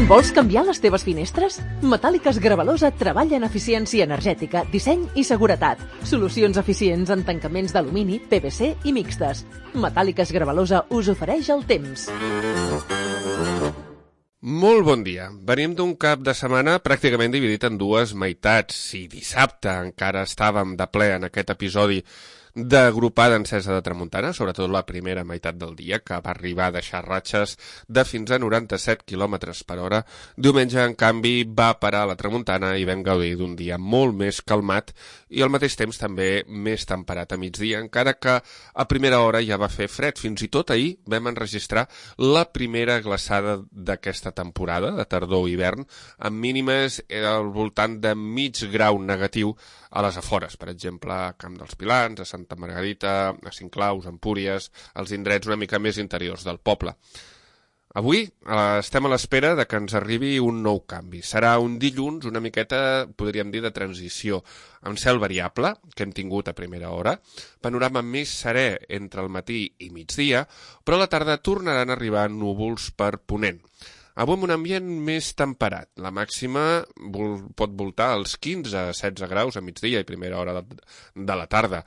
Vols canviar les teves finestres? Metàl·liques Gravalosa treballa en eficiència energètica, disseny i seguretat. Solucions eficients en tancaments d'alumini, PVC i mixtes. Metàl·liques Gravalosa us ofereix el temps. Molt bon dia. Venim d'un cap de setmana pràcticament dividit en dues meitats. Si dissabte encara estàvem de ple en aquest episodi d'agrupada encesa de tramuntana, sobretot la primera meitat del dia, que va arribar a deixar ratxes de fins a 97 km per hora. Diumenge, en canvi, va parar la tramuntana i vam gaudir d'un dia molt més calmat i al mateix temps també més temperat a migdia, encara que a primera hora ja va fer fred. Fins i tot ahir vam enregistrar la primera glaçada d'aquesta temporada, de tardor-hivern, amb mínimes al voltant de mig grau negatiu a les afores, per exemple, a Camp dels Pilans, a Santa Margarita, a Cinclaus, a Empúries, als indrets una mica més interiors del poble. Avui estem a l'espera de que ens arribi un nou canvi. Serà un dilluns una miqueta, podríem dir, de transició, amb cel variable, que hem tingut a primera hora, panorama més serè entre el matí i migdia, però a la tarda tornaran a arribar núvols per ponent. Avui amb un ambient més temperat. La màxima pot voltar als 15 a 16 graus a migdia i primera hora de la tarda,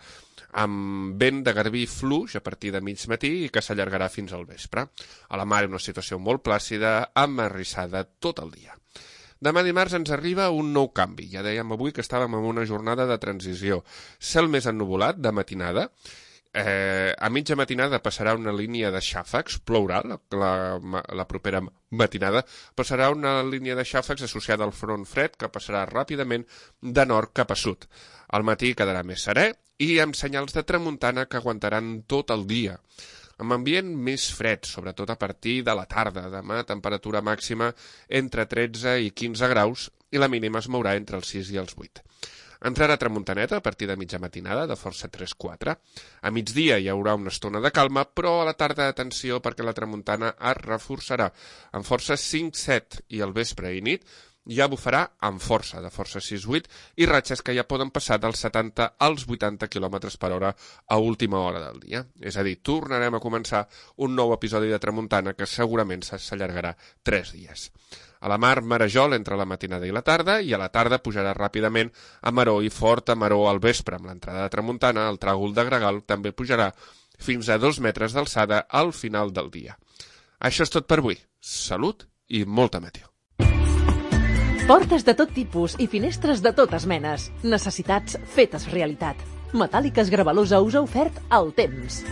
amb vent de garbí fluix a partir de mig matí i que s'allargarà fins al vespre. A la mar una situació molt plàcida, amb arrissada tot el dia. Demà dimarts ens arriba un nou canvi. Ja dèiem avui que estàvem en una jornada de transició. Cel més ennuvolat de matinada. A mitja matinada passarà una línia de xàfecs, plourà la propera matinada, passarà una línia de xàfecs associada al front fred que passarà ràpidament de nord cap a sud. Al matí quedarà més serè i amb senyals de tramuntana que aguantaran tot el dia. Amb ambient més fred, sobretot a partir de la tarda. Demà temperatura màxima entre 13 i 15 graus i la mínima es mourà entre els 6 i els 8. Entrarà tramuntaneta a partir de mitja matinada, de força 3-4. A migdia hi haurà una estona de calma, però a la tarda, atenció, perquè la tramuntana es reforçarà amb força 5-7 i al vespre i nit ja bufarà amb força, de força 6-8, i ratxes que ja poden passar dels 70 als 80 km per hora a última hora del dia. És a dir, tornarem a començar un nou episodi de tramuntana que segurament s'allargarà 3 dies. A la mar, marejol entre la matinada i la tarda, i a la tarda pujarà ràpidament a maró i fort a maró al vespre. Amb l'entrada de tramuntana, el tràgol de gregal també pujarà fins a 2 metres d'alçada al final del dia. Això és tot per avui. Salut i molta meteo. Portes de tot tipus i finestres de totes menes. Necessitats fetes realitat. Metàl·liques Gravalosa us ha ofert el temps.